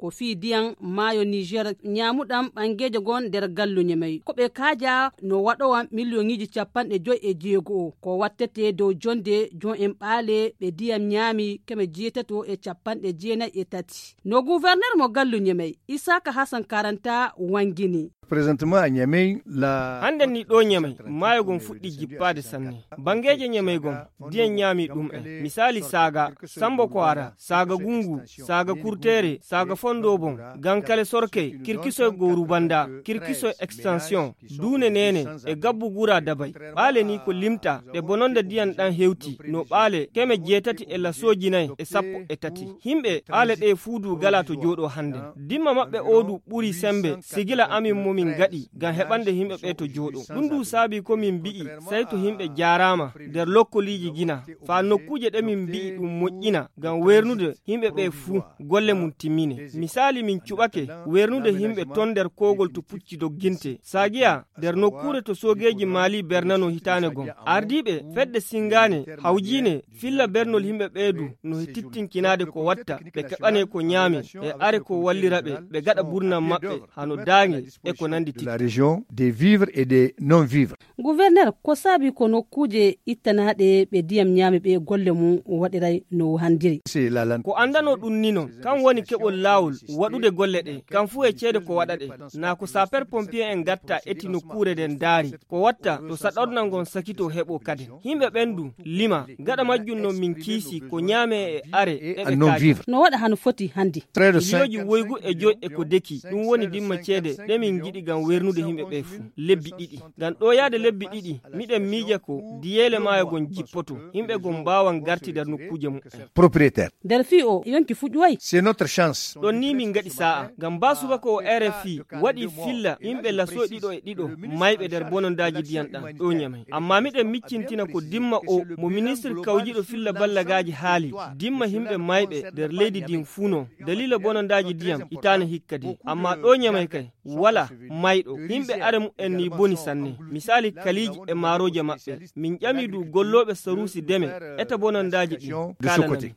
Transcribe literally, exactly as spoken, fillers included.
ko fii diyan maayo Niger ñaamuɗan ɓangeeje gon nder gallu Ñemey. Ko ɓe kaaja no waɗowa miliyoŋiiji capanɗe joy e jeego o. Ko wattete dow jonde jon en ɓaale ɓe diyan ñaami keme jeetato e capanɗe jeenay e tati. No guwerner mo gallu Ñemey, Isaaka Hasan Karanta wangini. Présentement à Niamey, la Hannden ni ɗo Ñemey, maayo gon fuɗɗi jippaade sanne. Bangeeje Ñemey gon, diyan ñaami ɗum en. Misaali Saaga, Sambo Koara, Saaga Gungu, Saaga Kurteere, Saaga Fondobon, Gankale Sorkey, Kirkisoy Goru Banda, Kirkisoy Extension, Duune Neene, e Gabbu Gura Dabay. Ɓaale ni ko limta, ɗe bononda diyan ɗan hewti, no ɓaale keme jeetati e lasooji nay e sappo e tati. Himɓe ɓaale ɗe fuudu gala to jooɗo hannden. Dimma maɓɓe o du ɓuri sembe, sigila amin mo min gaɗi, ngam heɓande himɓe ɓe to jooɗo. Ɗum du saabi ko min mbi'i, sey to himɓe jaaraama nder lokkoliiji gina, faa nokkuuje ɗe min mbi'i ɗum moƴƴina, ngam weernude himɓe ɓe fuu golle mum timmine. Misaali, min cuɓake weernude himɓe ton nder koogol to pucci dogginte. Saagiya, nder nokkuure to soogeeji Maali bernano hitaane gon. Ardiiɓe fedde Singaane hawjiine filla bernol himɓe ɓee du no he tittinkinaade ko watta, ɓe keɓane ko ñaame, e are ko wallira ɓe, ɓe gaɗa burnan maɓɓe, hano daange, e ko nandi de la tittu. Région, des vivres et des non-vivres. Guwerner, ko saabi ko nokkuuje ittanaaɗe ɓe diyam ñaami ɓe golle mum waɗiray no handiri? C'est la lan- Ko anndano ɗum ni non, kan woni keɓol laawol waɗude golle ɗe, kan fuu e ceede ko waɗa ɗe. Naa ko sapeur pompier en gatta eti nokkuure nden daari, ko watta to saɗornal ngon sakito heɓo kaden. Himɓe ɓen du lima, gaɗa majjum non min kiisi ko ñaame e are e ɓe non kaaji. Vivre. No waɗa hano foti handi. Très de cinq. Miliyoji woygu e joy e ko deki, ɗum woni dimma ceede ɗe min ngiɗi ngam wernude himɓe ɓe fuu. Lebbi ɗiɗi. Ngam ɗo yaade lebbi ɗiɗi, miɗen miija ko diyeele maayo gon jippoto, himɓe gon mbaawan garti nder nokkuuje mumen. Propriétaire. Nder fii o yonki fuɗuway. C'est notre chance. Ɗon ni min ngaɗi saa'a, ngam baa subaka o R F I waɗi filla yimɓe laso ɗiɗo e ɗiɗo mayɓe nder bonondaaji ndiyam ɗam ɗo Ñamey. Ammaa miɗen miccintina ko dimma o mo ministre kawjiɗo filla ballagaaji haali, dimma yimɓe mayɓe nder leydi ndin fuu non, daliila bonondaaji ndiyam hitaane hikka din. Ammaa ɗo Ñamey kay, wala mayɗo. Yimɓe are mu'en ni boni sanne. Misaali kaliiji e maarooje maɓɓe. Min ƴami du gollooɓe saruusi deme eta bonondaaji ɗin. De ce côté. Kaalanami.